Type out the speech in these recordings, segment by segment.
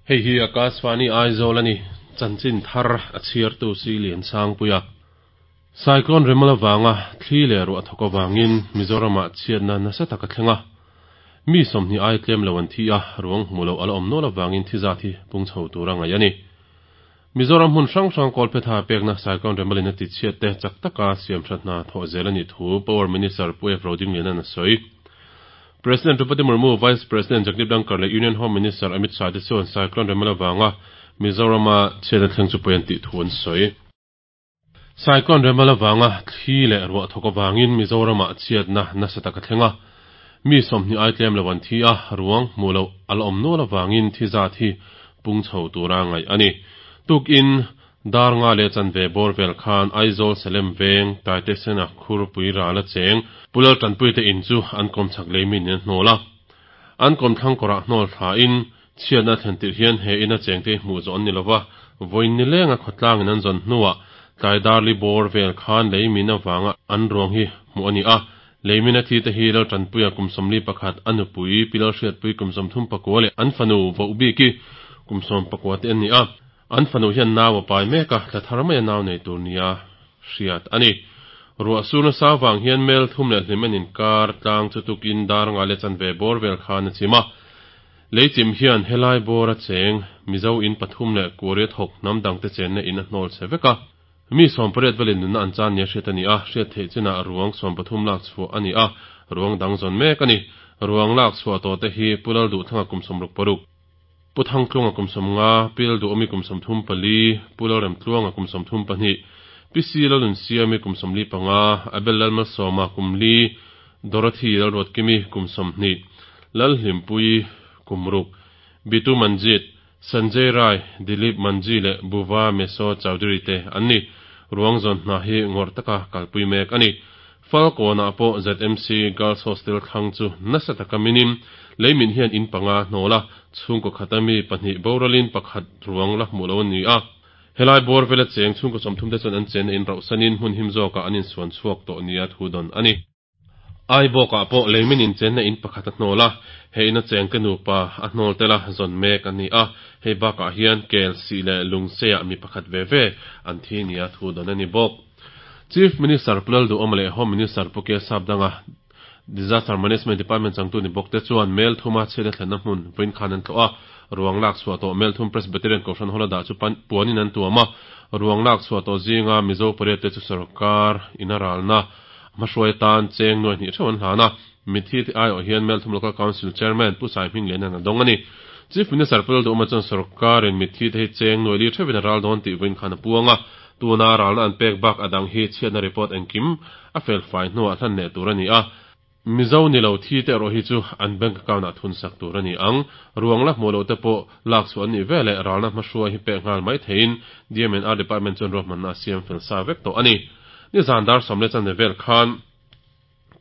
Hei hi Akashvani Aizawl a ni. Chanchin thar a chhiartu si Liansangpuia. Cyclone Remal avanga thli leh ruah thawk avangin Mizoramah chhiatna nasa tak a thleng a. Mi 20 ai tlem lo an thi a, ruang hmuh loh a la awm nual avangin thi zat hi pung chho tura ngaih a ni. Mizoram hmun hrang hrang kawlphetha pekna Cyclone Remalin a tichhiat te chak taka siamthat hna thawh zel a nih thu Power Minister Pu F Rodingliana'n a sawi. President Droupadi Murmu, Vice President Jagdeep Dhankhar leh Union Home Minister Amit Shah te chuan Cyclone Remal avanga Mizorama chhiatna thleng chu pawi an tih thu an sawi. Cyclone Remal avanga thli leh ruah thawk avangin Mizoramah chhiatna nasa tak a thleng a. Mi 20 ai tlem lo an thi a, ruang hmuh loh a la awm nual avangin thi zat hi pung chho tura ngaih a ni. Tukin dar nga leh chanve bawr vel khan Aizawl Salem veng Taitesena khurpui ral a cheng Pulal Tanpuite in chu an kawmchhak lei min in a hnawl a. An kawmthlang kawrah hnawl thlain Chhiatna thlen tirh hian he ina chengte hi hmuh zawh an ni lova, vawiin ni lenga khawtlangin an zawn hnuah tlai darli bawr vel khan lei min avanga an ruang hi hmuh a ni a. Lei mina thi te hi Laltanpuia kum 41, a nupui Pi Lalhriatpui kum 34 leh an fanu Vohbiki kum 14 te an ni a. An fanu hian nau a pai mek a, thla thar maia nau nei tur nia hriat a ni. Ruah sur nasa avang hian mel thum leh hlim en inkar tlang chu tukin dar nga leh chanve bawr vel khan a chim a. Leichim hian helai bawr a cheng Mizo in pathum leh Korea thawk hnam dangte chenna in a hnawl chhe vek a. Mi 18 velin nunna an chan nia hriat a ni a, hriat theih chinah ruang 13 lak chhuah a ni a, ruang dang zawn mek a ni. Ruang lak chhuah tawh te hi Pu Lalduhthanga kum 66, Pu Thangtlunga kum 50, Pi Lalduhawmi kum 34, Pu Lalremtluanga kum 32, Pi Si Lalnunsiami kum 45, Abel Lalmalsawma kum li, Dorothy Lalruatkimi kum 20, Lalhlimpuii kum ruk, Bitu Manjit, Sanjay Rai, Dilip Manji leh Buva Meso Chowdhury te an ni. Ruang zawn hna hi ngawrh taka kalpui mek a ni. Falkawnah pawh ZMC Girls Hostel thlang chu nasa taka minim leimin hian in panga hnawl a, chhungkaw khata mi pahnih boralin pakhat ruang la hmuh lo a ni a. Helai bawr vela cheng chhungkaw 30 te chuan an chenna in rauhsanin hmun him zawkah an insuan chhuak tawh nia thu dawn a ni. Ai bawkah pawh leimin inchenna in pakhat a hnawl a, he ina chengte nupa a hnawl tel a zawn mek a ni a, hei bakah hian kel sih leh lungseah mi pakhat ve ve an thi nia thu dawn a ni bawk. Chief Minister Pu Lalduhawma leh Home Minister Pu K Sapdanga, Disaster Management Department changtu ni bawk te chuan mel thuma chhiatna thlenna hmun vawiin khan an tlawh a, ruang lak chhuah tawh mel thum Presbyterian Kohhran Hall a dah chu puanin an tuam a, ruang lak chhuah tawh zinga Mizo pariat te chu sorkar in a ralna Hmahruai atan cheng nuai hnih theuh an hlan a, mitthi te aiawh hian Melthum Local Council Chairman Pu Sai Hming Lian an a dawng a ni. Chief Minister Pu Lalduhawma chuan sorkarin mitthi te hi cheng nuai li theuhin a ral dawn tih vawiin khan a puang a, tuna ralna an pek bak a dang hi chhiatna report engkim a felfai hnuah hlan leh tur a ni a. Mizo ni lo thi te erawh hi chu an bank account ah thun sak tur a ni ang. Ruang la hmuh loh te pawh lak chhuah an nih veleh ralna hmahruai hi pek nghal mai theiin DMNR Department chuan ruahmanna a siam fel sa vek tawh a ni. Nizan dar sawm leh chanve vel khan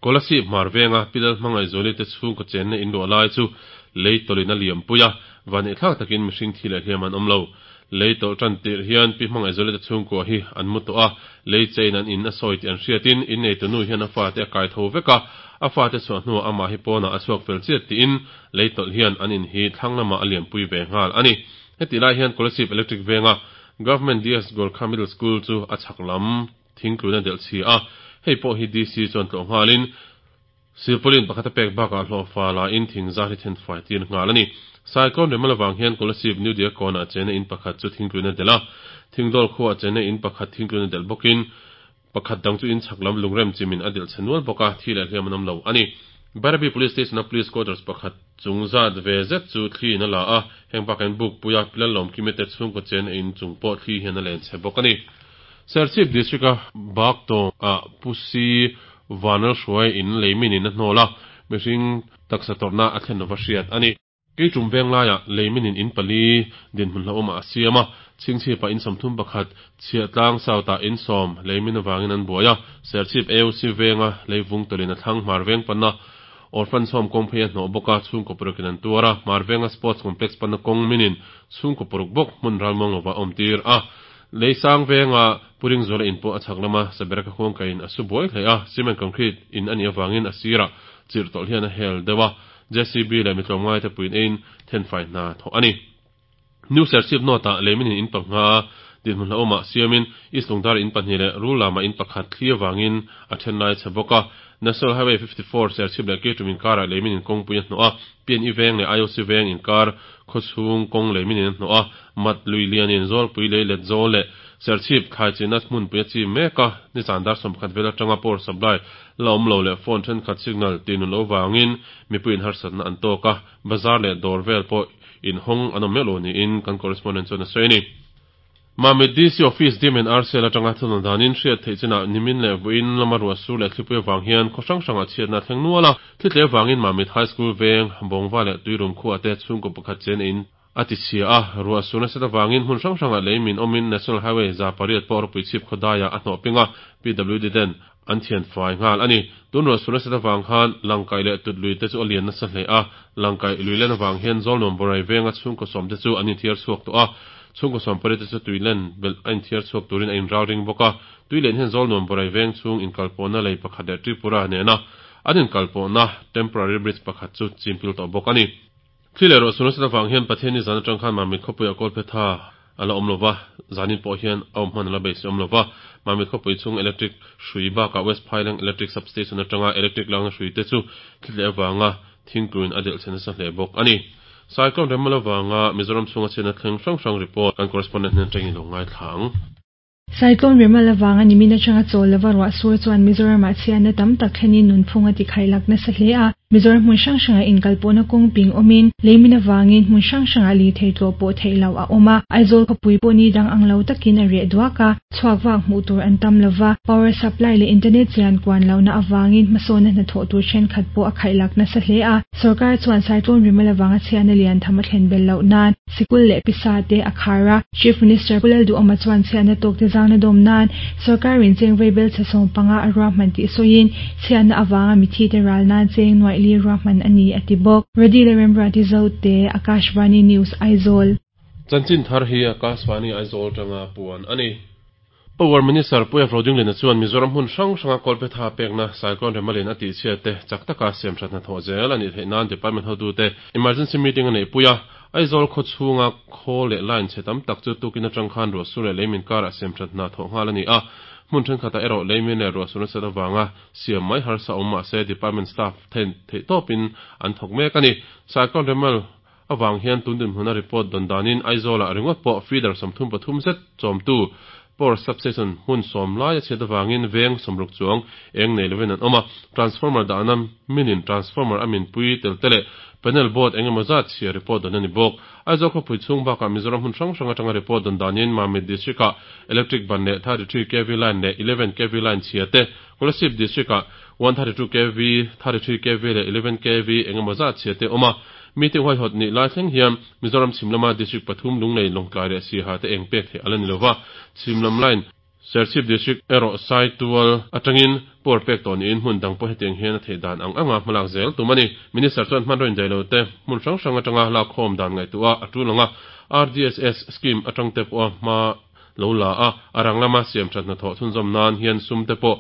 Kolasib hmar venga Pilal Hmangaihzuali te chhungkaw chenna in luah lai chu lei tawlhin a liam pui a, vaneihthlak takin mihring thi leh hliam an awm lo. Lei tawlh tan tirh hian Pi Hmangaihzuali te chhungkua hi an mu tawh a, lei chein an in a sawi tih an hriatin inneitu nu hian a fate a kai tho vek a, a fate chhuah hnuah amah hi pawnah a chhuak fel chiat tiin lei tawlh hian an in hi thlang lamah a liampui ve nghal a ni. Hetih lai hian Kolasib Electric venga Government DS Gorkha Middle School chu a chhak lam thingtlun a delh chhi a, hei pawh hi DC chuan tlawh nghalin silpaulin pakhat a pek bakah hlawhfa lain thing zar hi then fai tir nghal a ni. Cyclone Remal avang hian Kolasib New Diakon-ah chena in pakhat chu thingtlun a delh a, Thingdawl khuaah chena in pakhat thingtlun a delh bawkin pakhat dang chu in chhak lam lungrem chimin a delh chhe nual bawk a, thi leh hliam an awm lo a ni. Bairabi Police Station-a Police Quarters pakhat chung zat ve zet chu thli in a la a, heng bakah hian Bukpuia Pilalawmkimi te chhungkaw chena in chung pawh thli hian a len chhe bawk a ni. Serchhip District-a Baktawng-ah Pusi Vanlalhruai in lei min in a hnawl a, mihring taksa tawrhna a thlen lova hriat a ni. Keitum veng laiah lei min in in pali dinhmun hlauhawmah a siam a, Chhingchhipah in 31, Chhiahtlang South-ah in sawm lei min avangin an buai a, Serchhip AOC venga lei vung tawlhin a thlang hmar veng panna Orphan Home kawng phei a hnawh bawk a, chhungkaw paruk in an tuar a, hmar venga Sports Complex panna kawng min in chhungkaw paruk bawk hmun ralmuang lova a awmtir a. Leisang venga Pu Ringzuala in pawh a chhak lama Sabereka khuang kaiin a su buai hle a, cement concrete in a nih avangin a sirah chirh tawlh hian a hel deuh a, JCB leh mi tlawmngaite puiin eiin thenfai hna thawh a ni. New Serchhip North-ah leimin in panga dinhmun hlauhawmah siamin East Lungdar in pahnih leh Rullamah in pakhat thli avangin a then lai chhe bawk a. National Highway 54 Serchhip leh Keitum inkarah leimin in kawngpui a hnawh a, PNE veng leh IOC veng inkar khawchhung kawng leimin in a hnawh a, Mat lui lianin Zawlpui lei let zawl leh Serchhip thlai chinna hmunpui a chim mek a, nizan dar 11 vel atanga power supply la awm lo leh phone thenkhat signal tinun loh vangin mipuiin harsatna an tawk a, bazar leh dawr vel pawh inhawng an awm meuh lo niin kan correspondent chuan a sawi a ni. Mamit DC Office Dim and Rcl atanga thunawn danin hriat theih chinah nimin leh vawiin lama ruah sur leh thlipui avang hian khaw hrang hrangah chhiatna a thleng nual a. Thlitle avangin Mamit High School veng, Bawngva leh Tuirum khuaah te chhungkaw pakhat chen in a ti chhia a. Ruah sur nasat avangin hmun hrang hrangah lei min awmin National Highway 800 pawh ropui chhip khaw daiah a hnawh ping a, PWD ten an thian fai nghal a ni. Tun ruah sur nasat avang khan Langkaih leh Tut lui te chu a lian nasa hle a, Langkaih lui len avang hian Zawlnuam Borai venga chhungkaw sawm te chu an inthiar chhuak tawh a, chhungkaw sawm pariat te chu tui len belh a inthiar chhuak turin a inral ring bawk a. Tui len hian Zawlnuam Borai veng chhung inkalpawhna lei pakhat leh Tripura nena an inkalpawhna temporary bridge pakhat chu chimpil tawh bawk a ni. Thli leh ruah sur nasat avang hian Pathianni zan atang khan Mamit khawpuiah Kawlphetha a la awm lo va, zanin pawh hian a awm hman a la beisei awm lo va. Mamit khawpui chhung electric hrui bakah West Phaileng Electric Substation atanga electric lakna hrui te chu thli tleh avanga thingtuin a delh chhe nasa hle bawk a ni. Cyclone Remal avanga Mizoram chhunga chhiatna thleng hrang hrang report kan correspondent hnen atangin lo ngaithla ang. Cyclone Remal avanga nimin atanga chawl lova ruah sur chuan Mizoramah chhiatna tam tak thlenin nunphung a tikhaih lak nasa hle a. Mizoram hmun hrang hrangah inkalpawhna kawng ping awmin leimin avangin hmun hrang hrangah lirthei tlawh pawh theih loh a awm a. Aizawl khawpui pawh ni dang ang lo takin a reh duak a, chhuak vak hmuh tur an tam lova, power supply leh internet chian kuan lohna avangin hmasawnna hnathawh tur thenkhat pawh a khaih lak nasa hle a. Sorkar chuan Cyclone Remal avanga chhiatna lian tham a thlen belh loh nan Sikul leh pisa te a khar a, Chief Minister Pu Lalduhawma chuan chhiatna tawk te zangna dawm nan sorkarin cheng veibel chhe 15 a ruahman tih sawiin chhiatna avanga mithi te ral nan cheng nuaih li ruahman a ni a ti bawk. Radila Remruati Zote, Akashvani News, Aizawl. Chanchin thar hi Akashvani Aizawl tanga puan a ni. Power Minister Pu F. Rodingliana chuan Mizoram hmun hrang hranga kawlphetha pekna Cyclone Remalin a tihchhiat te chak taka siamthat hnathawh zel a nih theih nan Department hotute Emergency Meeting a neihpui a. Aizawl khaw chhunga khawl leh line chhe tam tak chu tukin atang khan ruahsur leh leimin karah siamthat hna thawh nghal a ni a. Hmun thenkhatah erawh leimin leh ruahsur nasat avanga siam mai harsa awm mahse Department staff then theihtawpin an thawk mek a ni. Cyclone Remal avang hian tun dinhmuna report dawn danin Aizawlah ringawt pawh feeder 33 zet chawmtu power substation hmun sawm lai a chhiat avangin veng 60 chuang eng nei lovin an awm a, transformer dahna minin transformer a minpui tel te leh panel board eng emaw zat chhia report dawn a ni bawk. Aizawl khawpui chhung bakah Mizoram hmun hrang hrang atanga report dawn danin Mamit district-ah electric ban leh 33 kv line leh 11 kv line chhia te, Kolasib district-ah 132 kv, 33 kv leh 11 kv eng emaw zat chhia te awm a. Meeting huaihawt nih lai thleng hian Mizoram chhim lama district pathum Lunglei, Lawngtlai leh Siaha te eng pek theih a la ni lova. Chhim lam line Serchhip district erawh Saitual atangin power pek tawh niin hmun dang pawh hetiang hian a theih dan ang anga hmalak zel tum a ni. Minister chuan hmanraw indaih lo te hmun hrang hrang atanga lakkhawm dan ngaihtuah a tul ang a, RDSS scheme atang te pawha hma lo la a, a rang lama siamthat hnathawh chhunzawm nan hian sum te pawh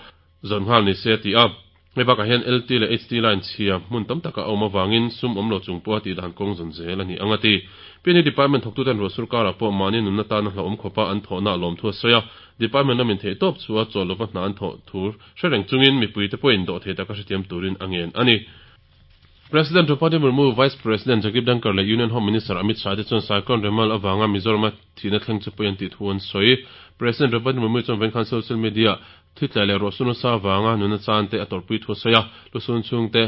zawn nghal ni se a ti a. Hei bakah hian LT leh HT line chhia hmun tam taka a awm avangin sum awm lo chung pawha tih dan kawng zawn zel a ni ang a ti. PNE Department thawktuten ruah sur karah pawh mahni nunna tana hlauhawm khawpa an thawhna a lawm thu a sawi a, Department lamin theih tawp chu a chawl lova hna an thawh thu hre reng chungin mipuite pawhin dawhthei taka hrethiam turin a ngen a ni. President Draupadi Murmu, Vice President Jagdeep Dhankhar leh Union Home Minister Amit Shah te chuan Cyclone Remal avanga Mizorama thihna thleng chu pawi an tih thu an sawi. President Draupadi Murmu chuan vawiin khan social media Thi tlai leh ruah sun nasa avanga nuna chan te a tawrhpui thu a sawi a, lusun chhung te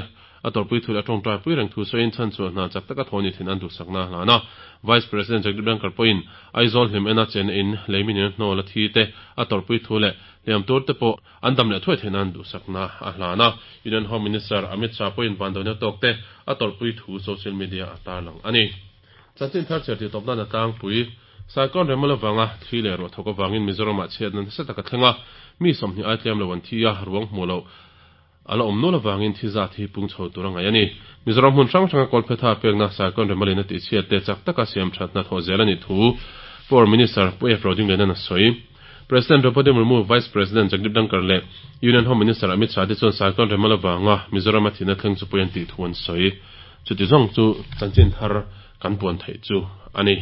a tawrhpui thu leh a tawngtai pui reng thu sawiin chhan chhuah hna chak taka thaw ni thin an duhsakna a hlan a. Vice President Jagdeep Dhankhar pawhin Aizawl hlim ena chenna in leimin in a hnawl a thi te a tawrhpui thu leh hliam tur te pawh an dam leh thuai theih nan duhsakna a hlan a. Union Home Minister Amit Shah pawhin vanduaina tawk te a tawrhpui thu social media a tarlang a ni. Chanchin thar chhiar tih tawp nan a tlangpui. Cyclone Remal avanga thli leh ruah thawk avangin Mizoramah chhiatna nasa tak a thleng a, mi 20 ai tlem lo an thi a, ruang hmuh loh a la awm nual avangin thi zat hi pung chho tur a ngaih a ni. Mizoram hmun hrang hranga kawlphetha pekna Cyclone Remalin a tihchhiat te chak taka siam thatna thawh zel a nih thu Power Minister Pu F. Rodinglianan a sawi. President Draupadi Murmu, Vice President Jagdeep Dhankhar leh Union Home Minister Amit Shah te chuan Cyclone Remal avanga Mizorama thihna thleng chu pawi an tih thu an sawi. Chuti zawng chu chanchin thar kan puan theih chu a ni.